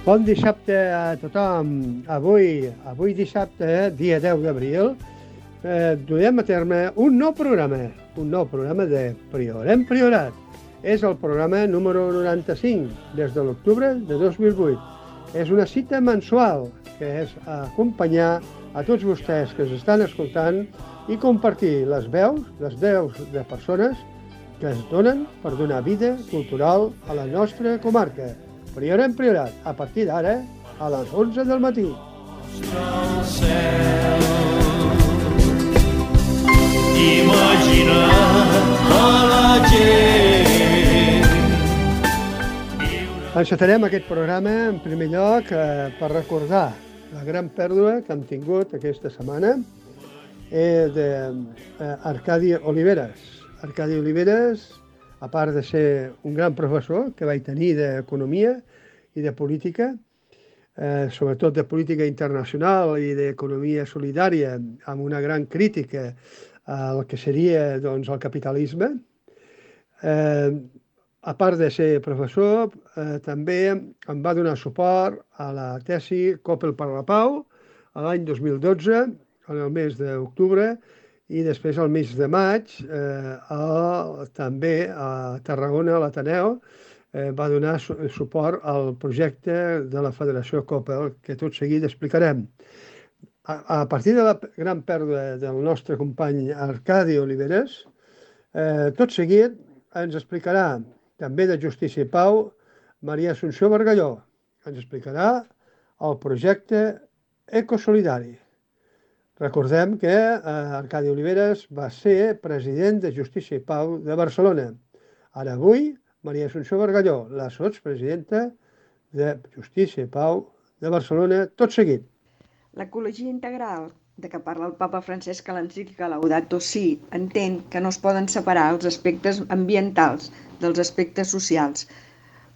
Bon dissabte a tothom. Avui dissabte, dia 10 d'abril, duem a terme un nou programa de Priorem Priorat. És el programa número 95, des de l'octubre de 2008. És una cita mensual que és acompanyar a tots vostès que estan escoltant i compartir les veus de persones que es donen per donar vida cultural a la nostra comarca. Priorem Priorat, a partir d'ara, a les 11 del matí. Imagina a la gent. Encetarem aquest programa, en primer lloc, per recordar la gran pèrdua que hem tingut aquesta setmana d'Arcadi Oliveres. Arcadi Oliveres, a part de ser un gran professor que vaig tenir d'economia i de política, sobretot de política internacional i d'economia solidària, amb una gran crítica al que seria el capitalisme. A part de ser professor, també em va donar suport a la tesi Coppel per la Pau l'any 2012, en el mes d'octubre, i després al mes de maig també a Tarragona, a l'Ateneu, va donar suport al projecte de la Federació Coppel, que tot seguit explicarem. A partir de la gran pèrdua del nostre company Arcadi Oliveres, tot seguit ens explicarà també de Justícia i Pau Maria Assumpció Bargalló. Ens explicarà el projecte Ecosolidari. Recordem que Arcadi Oliveres va ser president de Justícia i Pau de Barcelona. Ara avui, Maria Assumpció Bargalló, la sotspresidenta de Justícia i Pau de Barcelona, tot seguit. L'ecologia integral, de què parla el papa Francesc a l'encíclica Laudato Si, entén que no es poden separar els aspectes ambientals dels aspectes socials,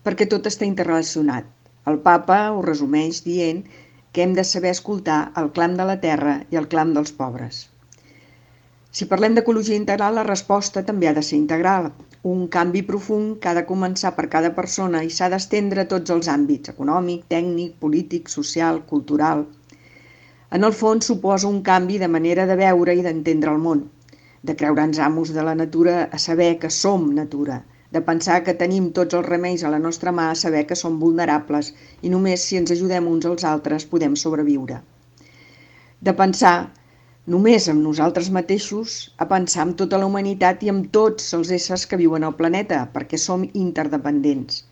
perquè tot està interrelacionat. El papa ho resumeix dient que hem de saber escoltar el clam de la terra i el clam dels pobres. Si parlem d'ecologia integral, la resposta també ha de ser integral. Un canvi profund que ha de començar per cada persona i s'ha d'estendre a tots els àmbits, econòmic, tècnic, polític, social, cultural. En el fons suposa un canvi de manera de veure i d'entendre el món, de creure'ns amos de la natura a saber que som natura, de pensar que tenim tots els remeis a la nostra mà a saber que som vulnerables i només si ens ajudem uns als altres podem sobreviure. De pensar només en nosaltres mateixos a pensar en tota la humanitat i en tots els éssers que viuen al planeta, perquè som interdependents.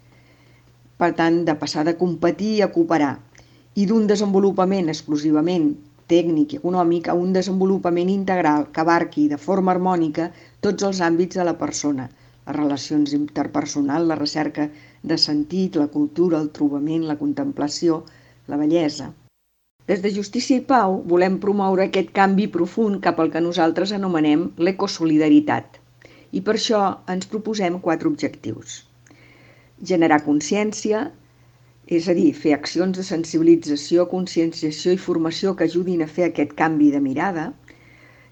Per tant, de passar de competir a cooperar i d'un desenvolupament exclusivament tècnic i econòmic a un desenvolupament integral que abarqui de forma harmònica tots els àmbits de la persona, les relacions interpersonals, la recerca de sentit, la cultura, el trobament, la contemplació, la bellesa. Des de Justícia i Pau volem promoure aquest canvi profund cap al que nosaltres anomenem l'ecosolidaritat. I per això ens proposem 4 objectius. Generar consciència, és a dir, fer accions de sensibilització, conscienciació i formació que ajudin a fer aquest canvi de mirada.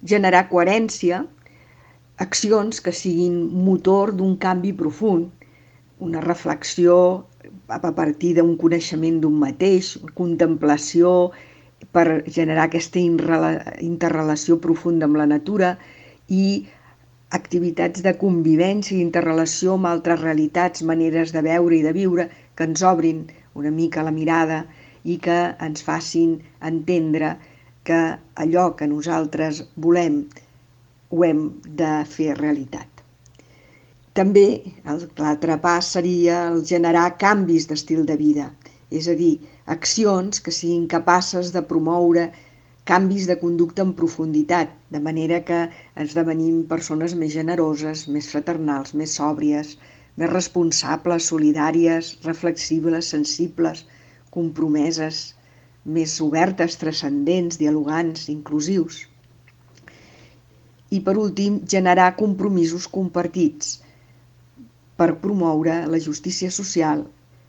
Generar coherència, accions que siguin motor d'un canvi profund, una reflexió a partir d'un coneixement d'un mateix, contemplació per generar aquesta interrelació profunda amb la natura i activitats de convivència i interrelació amb altres realitats, maneres de veure i de viure que ens obrin una mica la mirada i que ens facin entendre que allò que nosaltres volem ho hem de fer realitat. També l'altre pas seria el generar canvis d'estil de vida, és a dir, accions que siguin capaces de promoure canvis de conducta en profunditat, de manera que esdevenim persones més generoses, més fraternals, més sòbries, més responsables, solidàries, reflexibles, sensibles, compromeses, més obertes, transcendents, dialogants, inclusius. I per últim, generar compromisos compartits per promoure la justícia social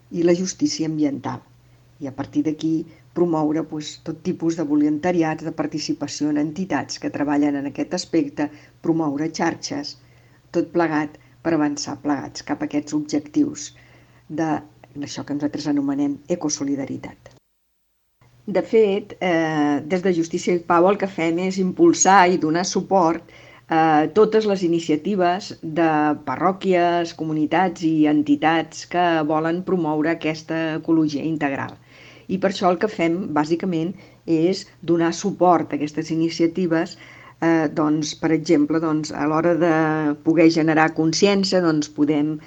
i la justícia ambiental. I a partir d'aquí promoure tot tipus de voluntariats, de participació en entitats que treballen en aquest aspecte, promoure xarxes, tot plegat per avançar plegats cap a aquests objectius de en això que nosaltres anomenem ecosolidaritat. De fet, des de Justícia i Pau el que fem és impulsar i donar suport a totes les iniciatives de parròquies, comunitats i entitats que volen promoure aquesta ecologia integral. I per això el que fem, bàsicament, és donar suport a aquestes iniciatives. Per exemple, a l'hora de poder generar consciència, podem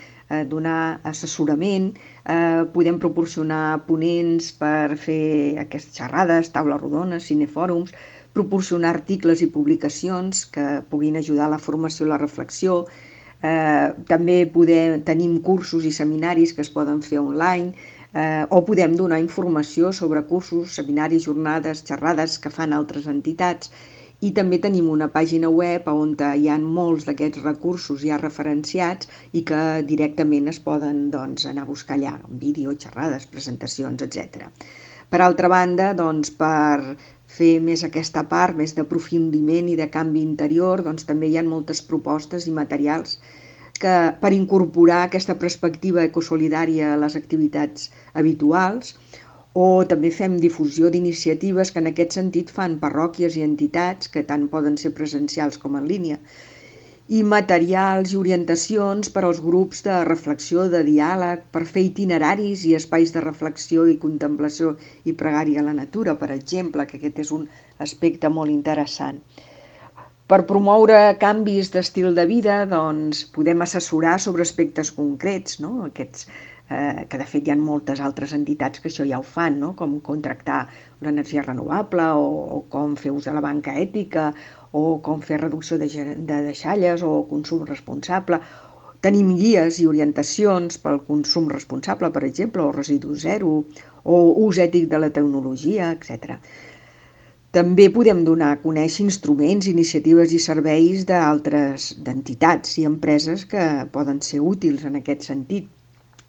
donar assessorament, podem proporcionar ponents per fer aquestes xerrades, taules rodones, cinefòrums, proporcionar articles i publicacions que puguin ajudar a la formació i la reflexió. També tenim cursos i seminaris que es poden fer online, o podem donar informació sobre cursos, seminaris, jornades, xerrades que fan altres entitats. I també tenim una pàgina web on hi ha molts d'aquests recursos ja referenciats i que directament es poden anar a buscar allà, vídeo, xerrades, presentacions, etc. Per altra banda, per fer més aquesta part, més d'aprofundiment i de canvi interior, també hi ha moltes propostes i materials per incorporar aquesta perspectiva ecosolidària a les activitats habituals, o també fem difusió d'iniciatives que en aquest sentit fan parròquies i entitats que tant poden ser presencials com en línia, i materials i orientacions per als grups de reflexió, de diàleg, per fer itineraris i espais de reflexió i contemplació i pregària a la natura, per exemple, que aquest és un aspecte molt interessant. Per promoure canvis d'estil de vida, podem assessorar sobre aspectes concrets, no? Aquests que de fet hi ha moltes altres entitats que això ja ho fan, no? Com contractar l'energia renovable o com fer ús de la banca ètica o com fer reducció de deixalles o consum responsable. Tenim guies i orientacions pel consum responsable, per exemple, o residu zero, o ús ètic de la tecnologia, etc. També podem donar a conèixer instruments, iniciatives i serveis d'entitats i empreses que poden ser útils en aquest sentit.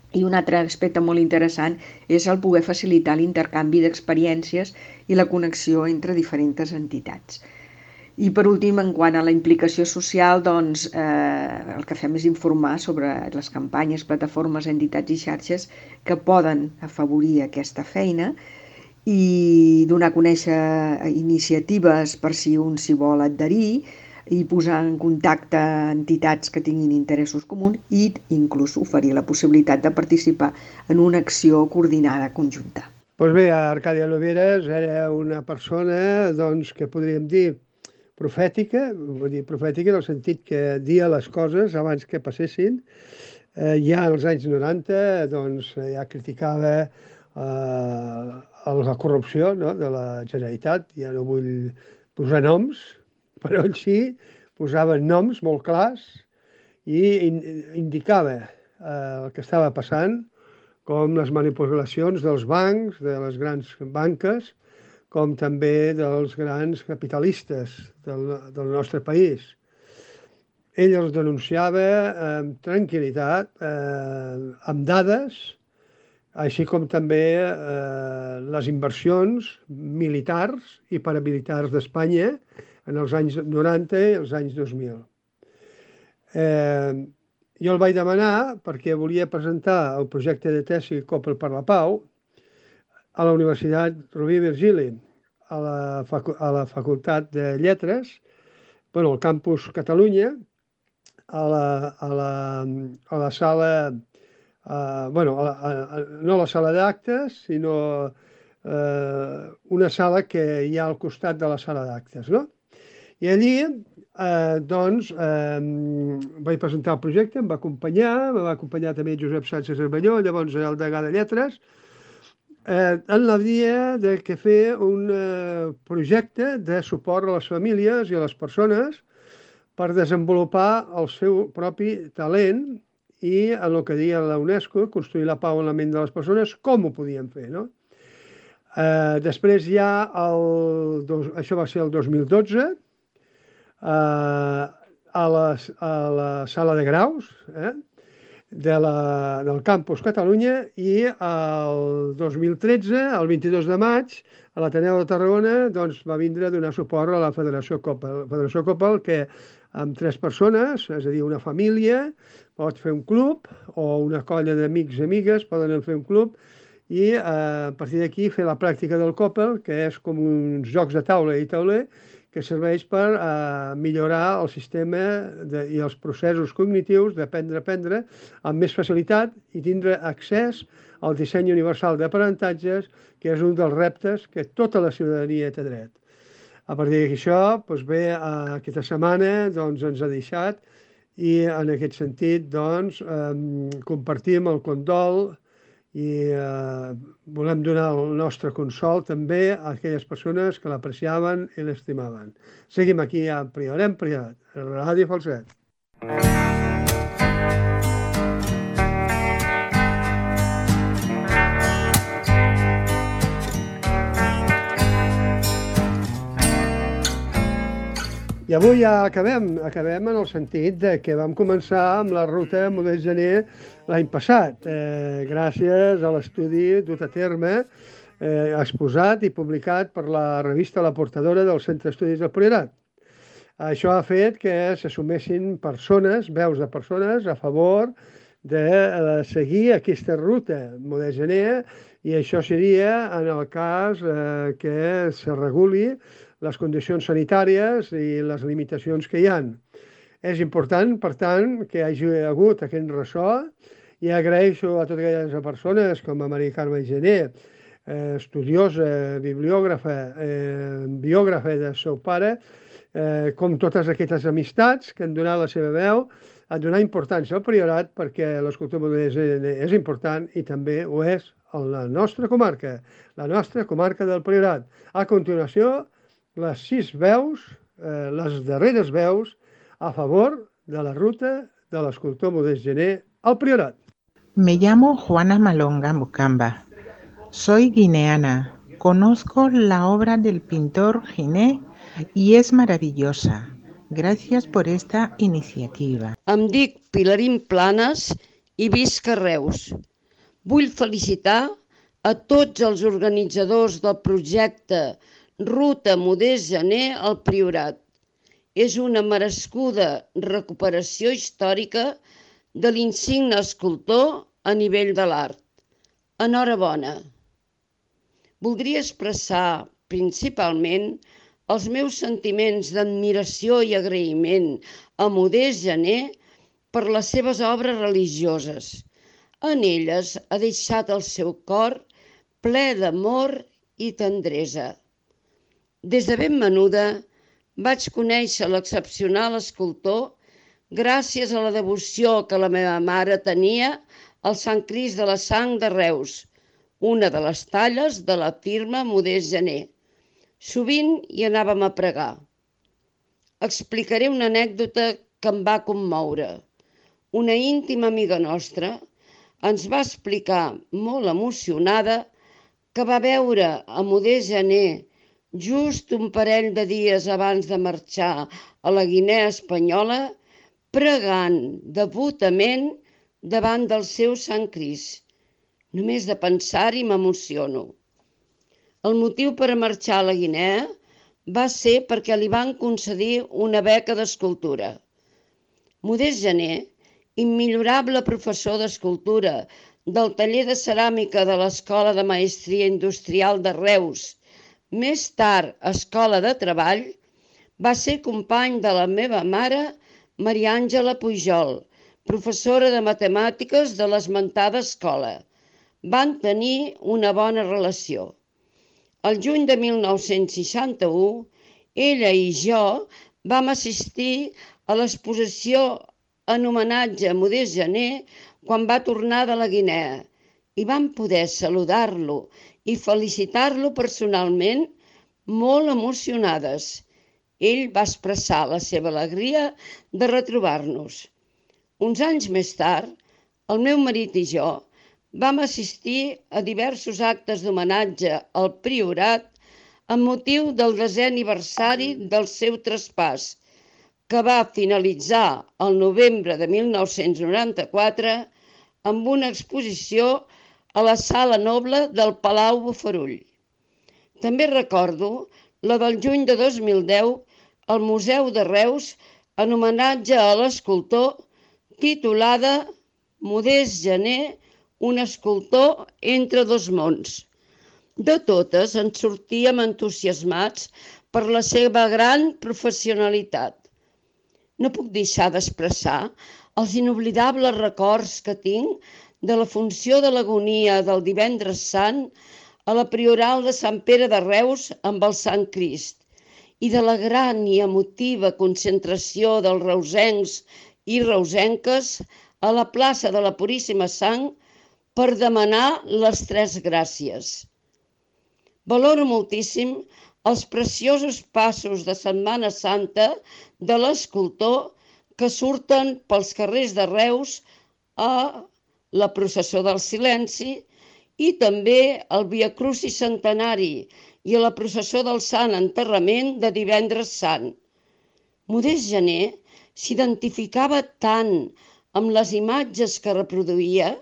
I un altre aspecte molt interessant és el poder facilitar l'intercanvi d'experiències i la connexió entre diferents entitats. I per últim, en quant a la implicació social, el que fem és informar sobre les campanyes, plataformes, entitats i xarxes que poden afavorir aquesta feina i donar a conèixer iniciatives per si un s'hi vol adherir, i posar en contacte entitats que tinguin interessos comuns i inclús oferir la possibilitat de participar en una acció coordinada conjunta. Doncs bé, Arcàdia Nogueras era una persona que podríem dir profètica, vull dir profètica en el sentit que dia les coses abans que passessin. Ja als anys 90 ja criticava la corrupció, no?, de la Generalitat. Ja no vull posar noms, però ell sí posava noms molt clars i indicava el que estava passant, com les manipulacions dels bancs, de les grans banques, com també dels grans capitalistes del nostre país. Ell els denunciava amb tranquil·litat, amb dades, així com també les inversions militars i paramilitars d'Espanya en els anys 90 i els anys 2000. Jo el vaig demanar perquè volia presentar el projecte de tesi Coppel per la Pau a la Universitat Rovira i Virgili, a la Facultat de Lletres, al campus Catalunya, a la sala, no a la sala d'actes, sinó una sala que hi ha al costat de la sala d'actes, no? I allí, vaig presentar el projecte, em va acompanyar també Josep Sánchez Cervelló, llavors el degà de Lletres, en la via de fer un projecte de suport a les famílies i a les persones per desenvolupar el seu propi talent i, en el que deia la UNESCO, construir la pau en la ment de les persones, com ho podien fer, no? Després ja, això va ser el 2012, a la sala de graus del campus Catalunya, i el 2013, el 22 de maig, a l'Ateneu de Tarragona, va vindre a donar suport a la Federació Coppel, que amb 3 persones, és a dir, una família pot fer un club o una colla d'amics i amigues poden fer un club i a partir d'aquí fer la pràctica del Coppel, que és com uns jocs de taula i tauler que serveix per millorar el sistema i els processos cognitius d'aprendre a aprendre amb més facilitat i tindre accés al disseny universal d'aprenentatges, que és un dels reptes que tota la ciutadania té dret. A partir d'això, doncs bé, aquesta setmana doncs, ens ha deixat i en aquest sentit doncs, compartim el condol i volem donar el nostre consol també a aquelles persones que l'apreciaven i l'estimaven. Seguim aquí a Priorat, Ràdio Falset. I avui ja acabem en el sentit de que vam començar amb la ruta Modest Gener l'any passat, gràcies a l'estudi dut a terme, exposat i publicat per la revista La Portadora del Centre d'Estudis del Priorat. Això ha fet que se sumessin persones, veus de persones, a favor de seguir aquesta ruta Modest Gener, i això seria en el cas que se reguli les condicions sanitàries i les limitacions que hi ha. És important, per tant, que hi hagi hagut aquest ressò i agraeixo a totes aquelles persones com a Maria Carme Gener, estudiosa, bibliògrafa, biògrafa del seu pare, com totes aquestes amistats que han donat la seva veu a donar importància al Priorat perquè l'escultura modesta és important i també ho és a la nostra comarca del Priorat. A continuació, les 6 veus, les darreres veus, a favor de la ruta de l'escultor Modest Gener al Priorat. Me llamo Juana Malonga Mucamba. Soy guineana. Conozco la obra del pintor Giné y es maravillosa. Gracias por esta iniciativa. Em dic Pilarín Planes i visc a Reus. Vull felicitar a tots els organitzadors del projecte Ruta Modest Gener al Priorat. És una merescuda recuperació històrica de l'insigne escultor a nivell de l'art. Enhorabona. Voldria expressar principalment els meus sentiments d'admiració i agraïment a Modest Gener per les seves obres religioses. En elles ha deixat el seu cor ple d'amor i tendresa. Des de ben menuda vaig conèixer l'excepcional escultor gràcies a la devoció que la meva mare tenia al Sant Crist de la Sang de Reus, una de les talles de la firma Modest Gener. Sovint hi anàvem a pregar. Explicaré una anècdota que em va commoure. Una íntima amiga nostra ens va explicar, molt emocionada, que va veure a Modest Gener just un parell de dies abans de marxar a la Guinea Espanyola, pregant devotament davant del seu Sant Crist. Només de pensar-hi m'emociono. El motiu per a marxar a la Guinea va ser perquè li van concedir una beca d'escultura. Modest Gener, immillorable professor d'escultura del taller de ceràmica de l'Escola de Maestria Industrial de Reus, més tard Escola de Treball, va ser company de la meva mare, Maria Àngela Pujol, professora de matemàtiques de l'esmentada escola. Van tenir una bona relació. El juny de 1961, ella i jo vam assistir a l'exposició en homenatge a Modest Gener quan va tornar de la Guinea i vam poder saludar-lo i felicitar-lo personalment, molt emocionades. Ell va expressar la seva alegria de retrobar-nos. Uns anys més tard, el meu marit i jo vam assistir a diversos actes d'homenatge al Priorat amb motiu del 10è aniversari del seu traspàs, que va finalitzar el novembre de 1994 amb una exposició a la Sala Noble del Palau Bofarull. També recordo la del juny de 2010 al Museu de Reus en homenatge a l'escultor, titulada Modest Gené, un escultor entre dos mons. De totes en sortíem entusiasmats per la seva gran professionalitat. No puc deixar d'expressar els inoblidables records que tinc de la funció de l'agonia del Divendres Sant a la Prioral de Sant Pere de Reus amb el Sant Crist i de la gran i emotiva concentració dels reusencs i reusenques a la plaça de la Puríssima Sang per demanar les Tres Gràcies. Valoro moltíssim els preciosos passos de Setmana Santa de l'escultor que surten pels carrers de Reus a la processó del silenci i també al Via Crucis Centenari i a la processó del Sant Enterrament de Divendres Sant. Modest Gené s'identificava tant amb les imatges que reproduïa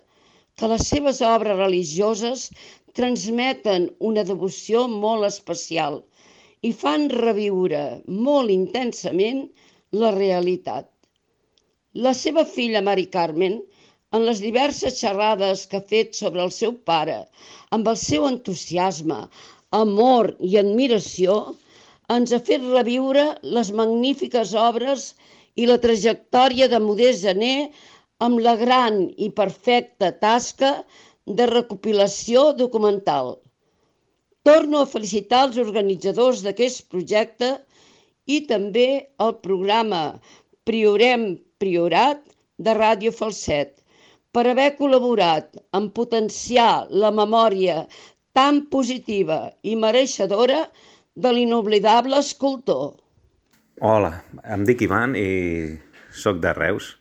que les seves obres religioses transmeten una devoció molt especial i fan reviure molt intensament la realitat. La seva filla Mari Carmen, en les diverses xerrades que ha fet sobre el seu pare, amb el seu entusiasme, amor i admiració, ens ha fet reviure les magnífiques obres i la trajectòria de Modest Gené amb la gran i perfecta tasca de recopilació documental. Torno a felicitar els organitzadors d'aquest projecte i també el programa Priorem Priorat de Ràdio Falset per haver col·laborat en potenciar la memòria tan positiva i mereixedora de l'inoblidable escultor. Hola, em dic Ivan i soc de Reus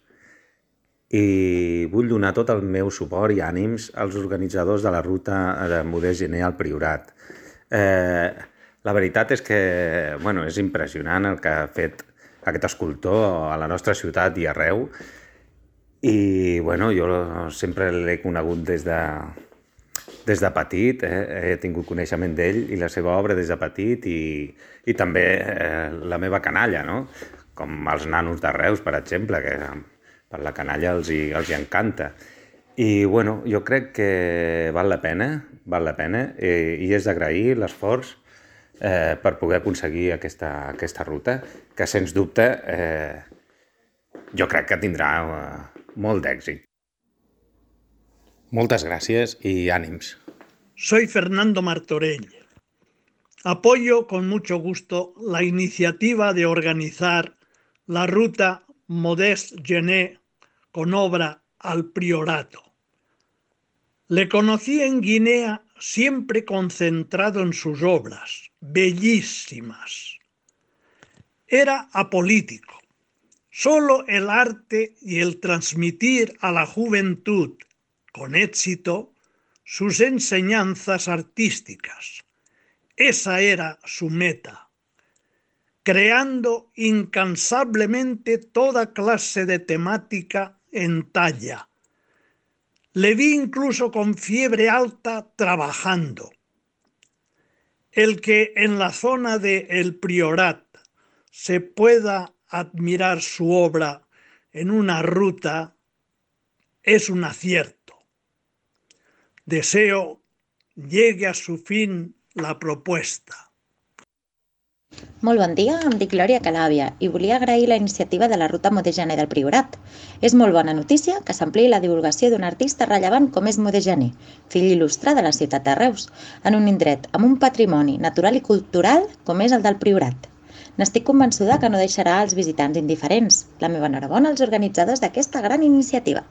i vull donar tot el meu suport i ànims als organitzadors de la ruta de Modest Gené al Priorat. La veritat és que és impressionant el que ha fet aquest escultor a la nostra ciutat i arreu i jo sempre l'he conegut des de petit, he tingut coneixement d'ell i la seva obra des de petit i també la meva canalla, no? Com els nanos de Reus, per exemple, que per la canalla els hi encanta. I jo crec que val la pena i és d'agrair l'esforç per poder aconseguir aquesta ruta, que sens dubte jo crec que tindrà molt d'èxit. Moltes gràcies y ánimos. Soy Fernando Martorell. Apoyo con mucho gusto la iniciativa de organizar la ruta Modest Gené con obra al Priorato. Le conocí en Guinea siempre concentrado en sus obras, bellísimas. Era apolítico. Solo el arte y el transmitir a la juventud con éxito sus enseñanzas artísticas. Esa era su meta, creando incansablemente toda clase de temática en talla. Le vi incluso con fiebre alta trabajando. El que en la zona de El Priorat se pueda admirar su obra en una ruta es un acierto. Deseo llegue a su fin la propuesta. Molt bon dia, em dic Glòria Calàbia i volia agrair la iniciativa de la ruta Modest Gené del Priorat. És molt bona notícia que s'ampliï la divulgació d'un artista rellevant com és Modest Gené, fill il·lustre de la ciutat de Reus, en un indret amb un patrimoni natural i cultural com és el del Priorat. N'estic convençuda que no deixarà els visitants indiferents. La meva enhorabona als organitzadors d'aquesta gran iniciativa.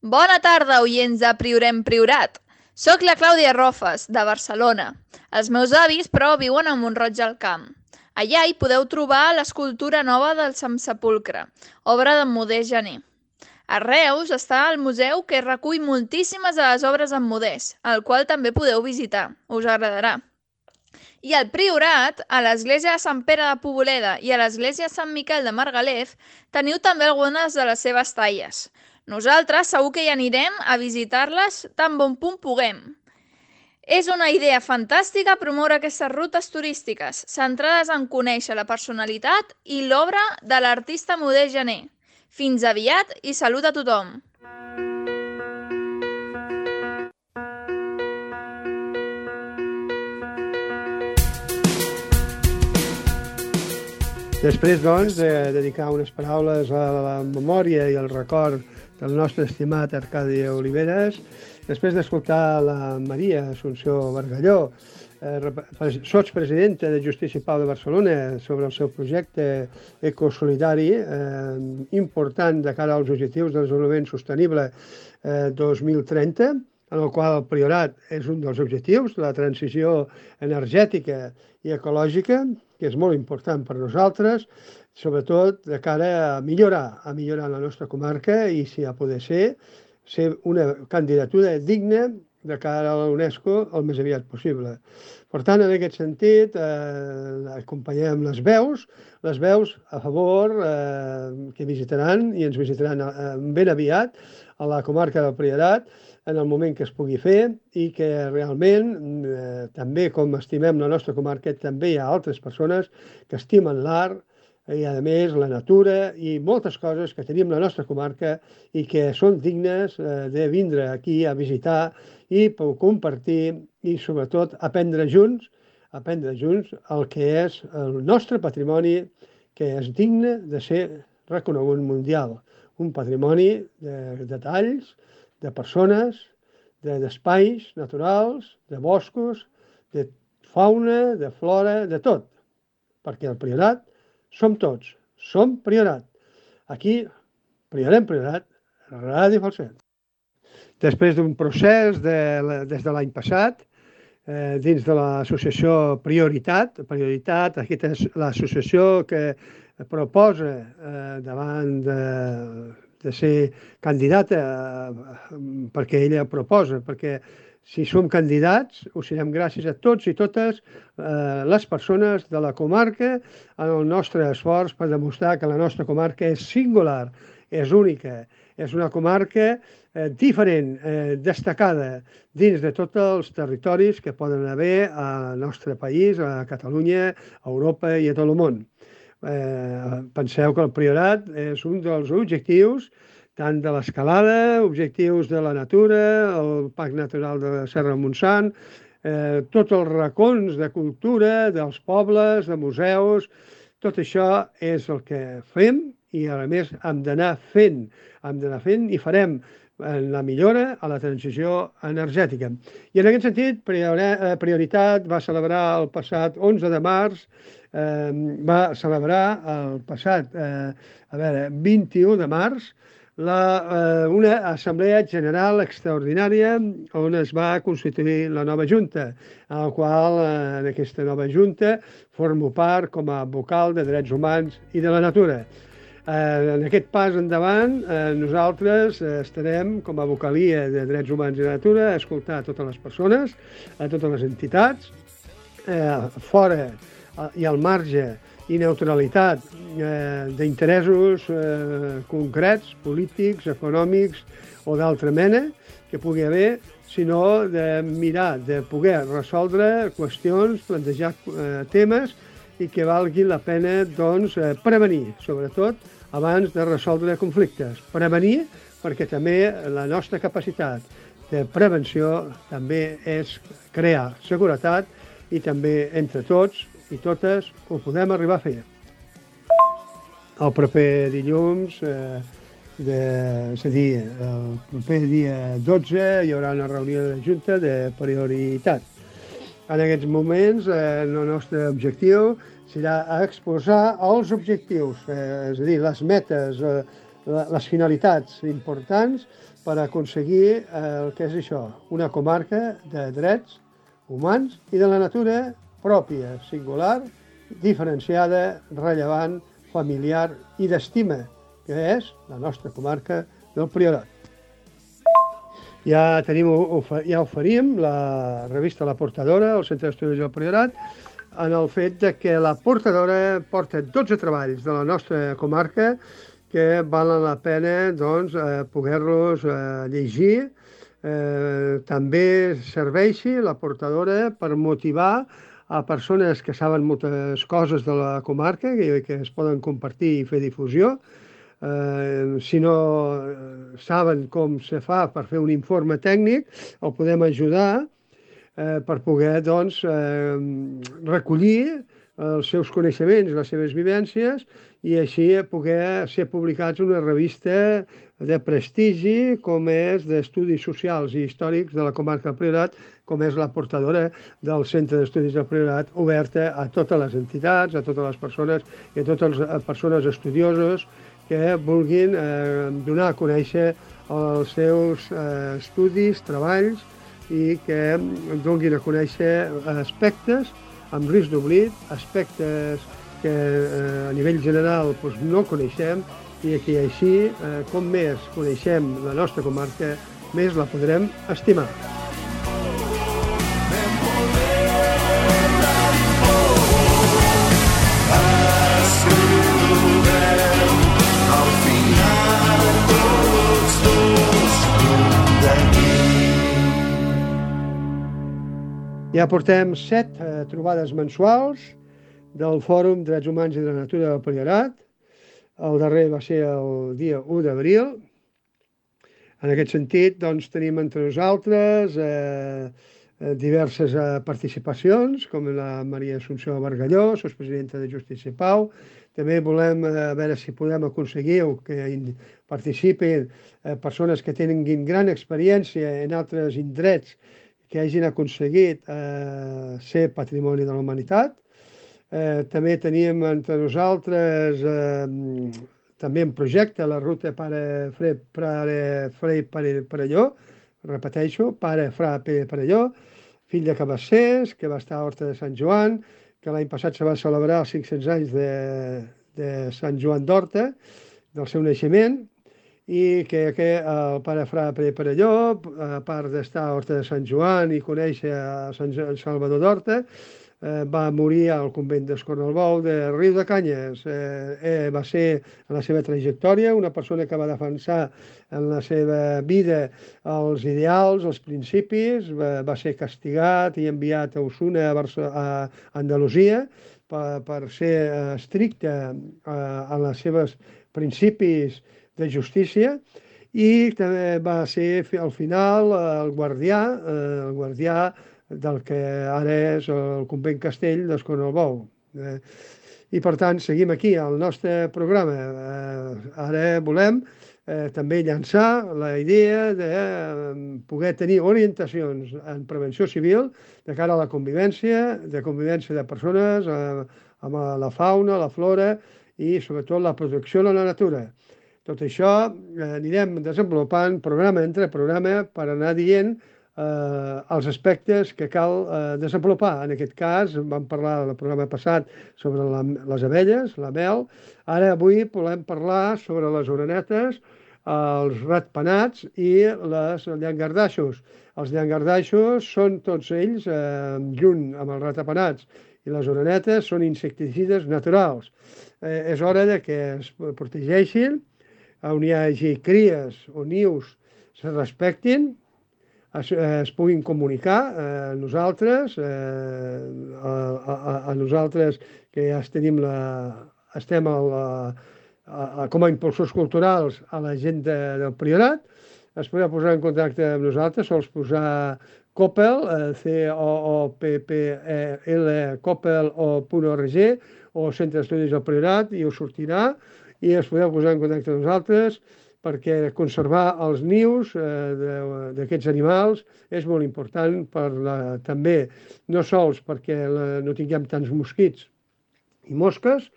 Bona tarda, oients de Priorem Priorat. Soc la Clàudia Rofes, de Barcelona. Els meus avis, però, viuen a Mont-roig del Camp. Allà hi podeu trobar l'escultura nova del Sant Sepulcre, obra de Modest Gené. A Reus està el museu que recull moltíssimes de les obres en Modest, el qual també podeu visitar, us agradarà. I al Priorat, a l'església de Sant Pere de Poboleda i a l'església de Sant Miquel de Margalef, teniu també algunes de les seves talles. Nosaltres segur que hi anirem a visitar-les tan bon punt puguem. És una idea fantàstica promoure aquestes rutes turístiques, centrades en conèixer la personalitat i l'obra de l'artista Modest Gené. Fins aviat i salut a tothom! Després, doncs, de dedicar unes paraules a la memòria i al record del nostre estimat Arcadi Oliveres, després d'escoltar la Maria Assumpció Bargalló, sotspresidenta de Justícia i Pau de Barcelona, sobre el seu projecte ecosolidari important de cara als objectius del desenvolupament sostenible 2030, en el qual el Priorat és un dels objectius, la transició energètica i ecològica, que és molt important per nosaltres, sobretot de cara a millorar la nostra comarca i, si ha poder ser una candidatura digna de cara a la UNESCO el més aviat possible. Per tant, en aquest sentit, acompanyem les veus a favor que visitaran i ens visitaran ben aviat a la comarca del Priorat en el moment que es pugui fer i que realment, també com estimem la nostra comarca, també hi ha altres persones que estimen l'art i, a més, la natura i moltes coses que tenim a la nostra comarca i que són dignes de vindre aquí a visitar i compartir i, sobretot, aprendre junts el que és el nostre patrimoni, que és digne de ser reconegut mundial. Un patrimoni de detalls, de persones, d'espais naturals, de boscos, de fauna, de flora, de tot. Perquè el Priorat som tots, som Priorat. Aquí, Priorat, Ràdio Falset. Després d'un procés des de l'any passat, dins de l'associació Prioritat, aquesta és l'associació que proposa davant de ser candidata, perquè ella proposa, perquè si som candidats ho serem gràcies a tots i totes les persones de la comarca en el nostre esforç per demostrar que la nostra comarca és singular, és única, és una comarca diferent, destacada dins de tots els territoris que poden haver al nostre país, a Catalunya, a Europa i a tot el món. Penseu que el Priorat és un dels objectius tant de l'escalada, objectius de la natura, el Parc Natural de Serra Montsant, tots els racons de cultura, dels pobles, de museus, tot això és el que fem i, a més, hem d'anar fent i farem la millora a la transició energètica. I en aquest sentit, Prioritat va celebrar el passat 11 de març, va celebrar el passat 21 de març una assemblea general extraordinària on es va constituir la nova Junta, en la qual en aquesta nova Junta formo part com a vocal de Drets Humans i de la Natura. En aquest pas endavant, nosaltres estarem com a vocalia de Drets Humans i Natura a escoltar a totes les persones, a totes les entitats, fora i al marge i neutralitat d'interessos concrets, polítics, econòmics o d'altra mena que pugui haver, sinó de mirar, de poder resoldre qüestions, plantejar temes i que valgui la pena prevenir, sobretot abans de resoldre conflictes. Prevenir perquè també la nostra capacitat de prevenció també és crear seguretat i també entre tots i totes ho podem arribar a fer. El proper dilluns, és a dir, el proper dia 12, hi haurà una reunió de Junta de Prioritat. En aquests moments, el nostre objectiu serà exposar els objectius, és a dir, les metes, les finalitats importants per aconseguir el que és això, una comarca de drets humans i de la natura pròpia, singular, diferenciada, rellevant, familiar i d'estima, que és la nostra comarca del Priorat. Ja oferim la revista La Portadora, al Centre d'Estudis del Priorat, en el fet que la Portadora porta 12 treballs de la nostra comarca que valen la pena poder-los llegir també serveixi la portadora per motivar a persones que saben moltes coses de la comarca i que es poden compartir i fer difusió. Si no saben com se fa per fer un informe tècnic, el podem ajudar per poder doncs, recollir els seus coneixements, les seves vivències i així poder ser publicats en una revista de prestigi com és d'estudis socials i històrics de la comarca del Priorat, com és la portadora del Centre d'Estudis del Priorat, oberta a totes les entitats, a totes les persones i a totes les persones estudioses que vulguin donar a conèixer els seus estudis, treballs i que donin a conèixer aspectes amb risc d'oblit, aspectes que a nivell general no coneixem i que així, com més coneixem la nostra comarca, més la podrem estimar. Ja portem 7 trobades mensuals del Fòrum Drets Humans i de la Natura del Priorat. El darrer va ser el dia 1 d'abril. En aquest sentit, doncs, tenim entre nosaltres diverses participacions, com la Maria Assumpció Bargalló, sotspresidenta de Justícia i Pau. També volem veure si podem aconseguir que participin persones que tinguin gran experiència en altres indrets que hagin aconseguit ser patrimoni de la humanitat. També tenim entre nosaltres també en projecte la ruta Pare Frei Perelló, repeteixo, Pare Frei Perelló, fill de Cabassers, que va estar a Horta de Sant Joan, que l'any passat se va celebrar els 500 anys de Sant Joan d'Horta, del seu naixement, i que el Pare Frei Perelló, a part d'estar a Horta de Sant Joan i conèixer a Sant Salvador d'Horta, va morir al convent d'Escornalbou de Riu de Canyes. Va ser, en la seva trajectòria, una persona que va defensar en la seva vida els ideals, els principis, va ser castigat i enviat a Osuna, a Andalusia, per ser estricte en els seus principis de justícia, i també va ser al final el guardià del que ara és el convent castell d'Escornalbou. I per tant seguim aquí al nostre programa. Ara volem també llançar la idea de poder tenir orientacions en prevenció civil de cara a la convivència de persones, amb la fauna, la flora i sobretot la protecció de la natura. Tot això anirem desenvolupant programa entre programa per anar dient els aspectes que cal desenvolupar. En aquest cas vam parlar el programa passat sobre les abelles, la mel. Ara avui volem parlar sobre les orenetes, els ratpenats i les llangardaixos. Els llangardaixos són tots ells, junt amb els ratpenats i les orenetes, són insecticides naturals. És hora que es protegeixin, on hi hagi cries o nius se respectin, es puguin comunicar a nosaltres, que ja estem com a impulsors culturals a la gent del Priorat, es podrà posar en contacte amb nosaltres, sols posar Coppel, COOPPEL, coppel.org o Centre d'Estudis del Priorat, i us sortirà, i es podeu posar en contacte amb nosaltres perquè conservar els nius d'aquests animals és molt important també, no sols perquè no tinguem tants mosquits i mosques,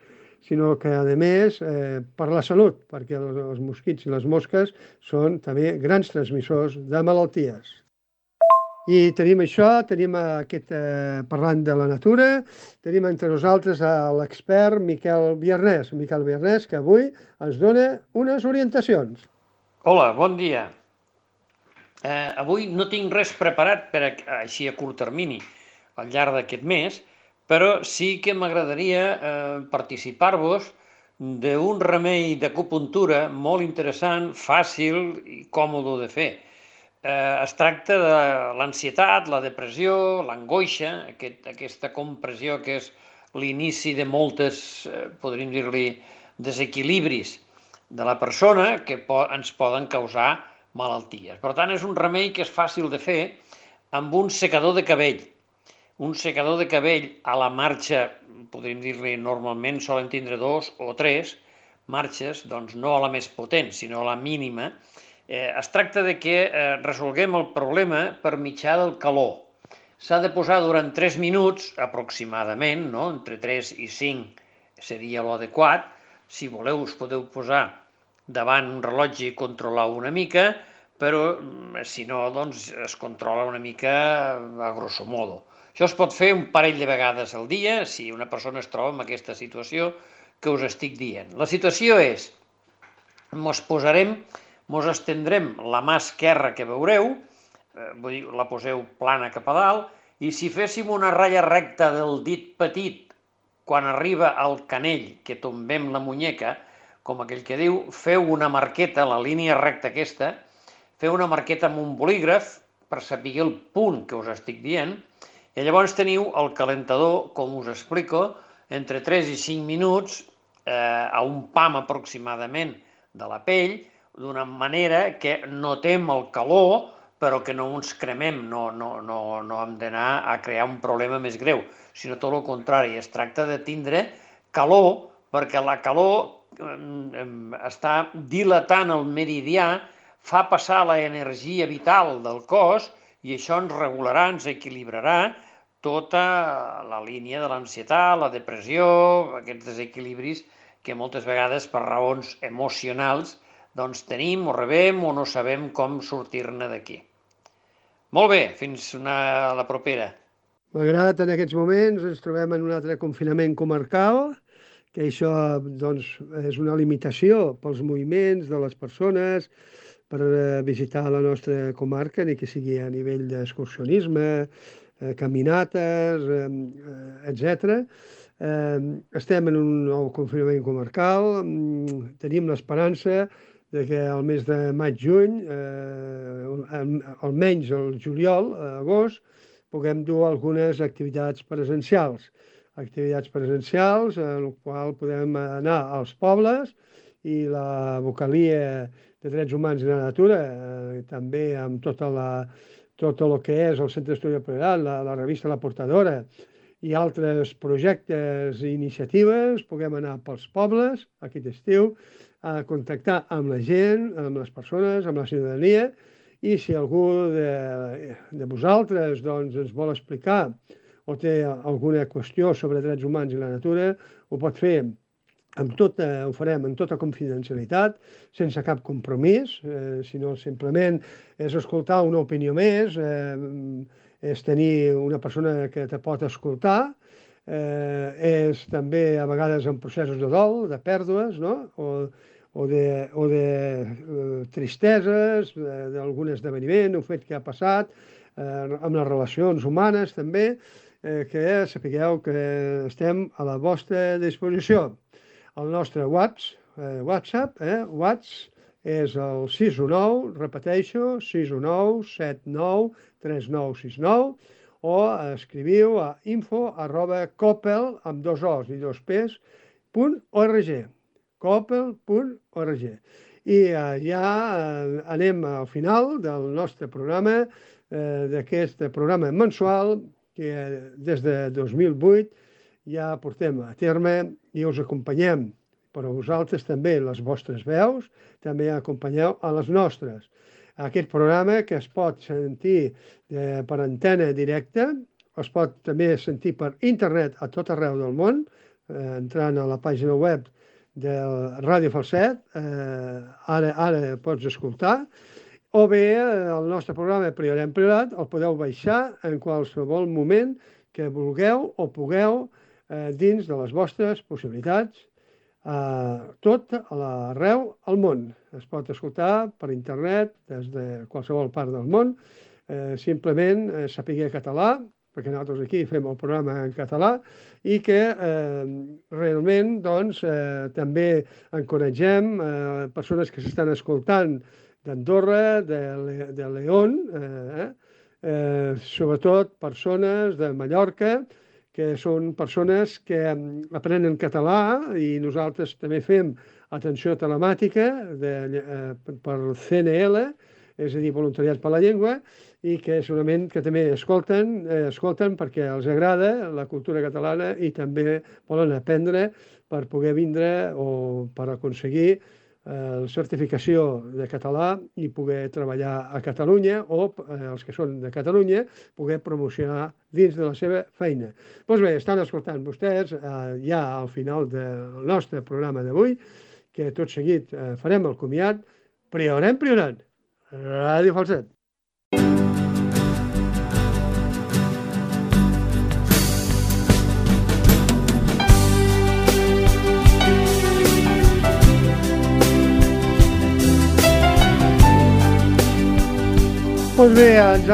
sinó que, a més, per la salut, perquè els mosquits i les mosques són també grans transmissors de malalties. I tenim això, tenim parlant de la natura, tenim entre nosaltres l'expert Miquel Biarnès, que avui ens dona unes orientacions. Hola, bon dia. Avui no tinc res preparat així a curt termini al llarg d'aquest mes, però sí que m'agradaria participar-vos d'un remei d'acupuntura molt interessant, fàcil i còmode de fer. Es tracta de l'ansietat, la depressió, l'angoixa, aquesta compressió que és l'inici de moltes, podríem dir-li, desequilibris de la persona que ens poden causar malalties. Per tant, és un remei que és fàcil de fer amb un secador de cabell. Un secador de cabell a la marxa, podríem dir-li, normalment solen tindre 2 o 3 marxes, doncs no a la més potent, sinó a la mínima. Es tracta de que resolguem el problema per mitjà del calor. S'ha de posar durant 3 minuts, aproximadament, no? Entre 3 i 5 seria l'adequat. Si voleu, us podeu posar davant un rellotge i controlar una mica, però si no, doncs es controla una mica a grosso modo. Això es pot fer un parell de vegades al dia, si una persona es troba en aquesta situació que us estic dient. La situació és, mos estendrem la mà esquerra que veureu, vull dir, la poseu plana cap a dalt, i si féssim una ratlla recta del dit petit quan arriba al canell, que tombem la muñeca, com aquell que diu, feu una marqueta, la línia recta aquesta, feu una marqueta amb un bolígraf per saber el punt que us estic dient, i llavors teniu el calentador, com us explico, entre 3 i 5 minuts, a un pam aproximadament de la pell, d'una manera que notem el calor, però que no ens cremem, no hem d'anar a crear un problema més greu, sinó tot el contrari, es tracta de tindre calor, perquè la calor està dilatant el meridià, fa passar l'energia vital del cos i això ens regularà, ens equilibrarà tota la línia de l'ansietat, la depressió, aquests desequilibris que moltes vegades per raons emocionals doncs tenim o rebem o no sabem com sortir-ne d'aquí. Molt bé, fins la propera. Malgrat en aquests moments ens trobem en un altre confinament comarcal, que això doncs, és una limitació pels moviments de les persones per visitar la nostra comarca, ni que sigui a nivell d'excursionisme, caminates, etc. Estem en un nou confinament comarcal, tenim l'esperança de que el mes de maig-juny, almenys el juliol, agost, puguem dur algunes activitats presencials. Activitats presencials en el qual podem anar als pobles i la vocalia de Drets Humans i la Natura, també amb tot el que és el Centre d'Estudi del Priorat, la revista La Portadora i altres projectes i iniciatives, puguem anar pels pobles aquest estiu a contactar amb la gent, amb les persones, amb la ciutadania, i si algú de vosaltres doncs, ens vol explicar o té alguna qüestió sobre drets humans i la natura, ho pot fer ho farem amb tota confidencialitat, sense cap compromís, sinó simplement és escoltar una opinió més, és tenir una persona que te pot escoltar, és també a vegades en processos de dol, de pèrdues, no? o de tristeses, d'algun esdeveniment, un fet que ha passat, amb les relacions humanes també, que sapigueu que estem a la vostra disposició. El nostre WhatsApp és el 619, repeteixo, 619-793969, o escriviu a info@coppel, amb 2 O's i 2 P's, .org, coppel.org. I ja anem al final del nostre programa, d'aquest programa mensual que des de 2008 ja portem a terme i us acompanyem, però vosaltres també, les vostres veus, també acompanyeu a les nostres. Aquest programa que es pot sentir per antena directa, es pot també sentir per internet a tot arreu del món, entrant a la pàgina web de Ràdio Falset, ara pots escoltar, o bé el nostre programa Priorat en Priorat el podeu baixar en qualsevol moment que vulgueu o pugueu dins de les vostres possibilitats, tot arreu al món. Es pot escoltar per internet des de qualsevol part del món, simplement saber català, perquè nosaltres aquí fem el programa en català, i que realment doncs, també encoratgem persones que s'estan escoltant d'Andorra, de León, sobretot persones de Mallorca, que són persones que aprenen català, i nosaltres també fem atenció telemàtica per CNL, és a dir, Voluntariat per la Llengua, i que segurament que també escolten perquè els agrada la cultura catalana i també volen aprendre per poder vindre o per aconseguir la certificació de català i poder treballar a Catalunya, o els que són de Catalunya poder promocionar dins de la seva feina. Doncs bé, estan escoltant vostès ja al final del nostre programa d'avui, que tot seguit farem el comiat. Priorem, Ràdio Falset. Doncs bé, ens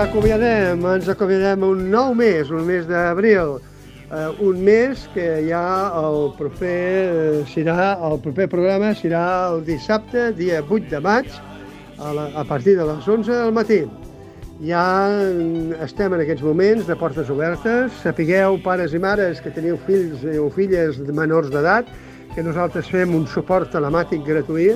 acomiadem un nou mes, un mes d'abril, un mes que ja el proper programa serà el dissabte, dia 8 de maig, a partir de les 11 del matí. Ja estem en aquests moments de portes obertes. Sapigueu, pares i mares que teniu fills o filles menors d'edat, que nosaltres fem un suport telemàtic gratuït,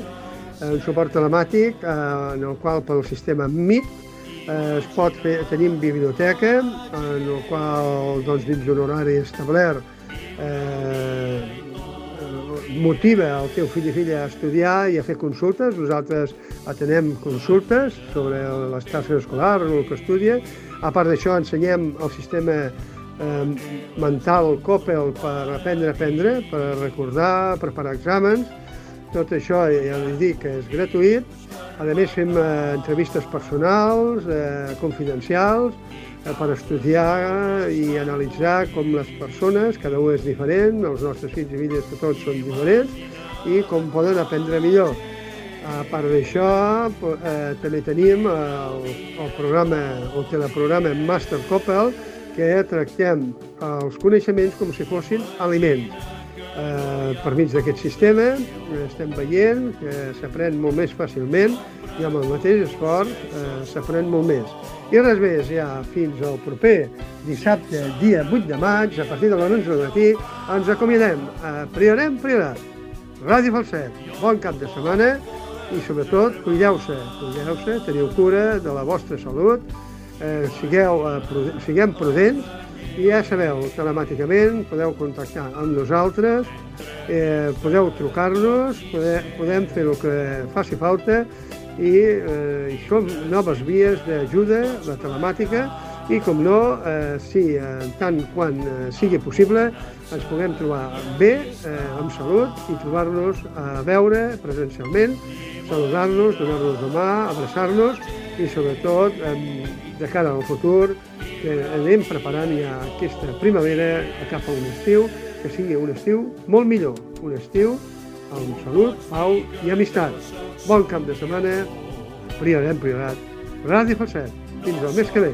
un suport telemàtic en el qual pel sistema Meet es pot fer. Tenim biblioteca, en el qual doncs, dins d'un horari establert motiva el teu fill i filla a estudiar i a fer consultes. Nosaltres atenem consultes sobre les tasques escolars, el que estudia. A part d'això, ensenyem el sistema mental COPEL per aprendre, per recordar, preparar exàmens. Tot això ja li dic que és gratuït. A més, fem entrevistes personals, confidencials, per estudiar i analitzar com les persones, cada un és diferent, els nostres fills i filles que tots són diferents, i com poden aprendre millor. A part d'això, també tenim el teleprograma Master COPEL, que tractem els coneixements com si fossin aliments. Per mig d'aquest sistema estem veient que s'aprèn molt més fàcilment i amb el mateix esforç s'aprèn molt més. I res més, ja fins al proper dissabte, dia 8 de maig, a partir de les 11 del matí, ens acomiadem. Priorem, Ràdio Falset. Bon cap de setmana i sobretot cuideu-se, teniu cura de la vostra salut, siguem prudents. I ja sabeu, telemàticament podeu contactar amb nosaltres, podeu trucar-nos, podem fer el que faci falta i som noves vies d'ajuda, la telemàtica, i com no, si tant quan sigui possible ens puguem trobar bé, amb salut, i trobar-nos a veure presencialment, saludar-nos, donar-nos la mà, abraçar-nos i sobretot de cara al futur que anem preparant ja aquesta primavera cap a un estiu, que sigui un estiu molt millor, un estiu amb salut, pau i amistat. Bon cap de setmana, Priorem, Ràdio Falset. Fins al mes que ve.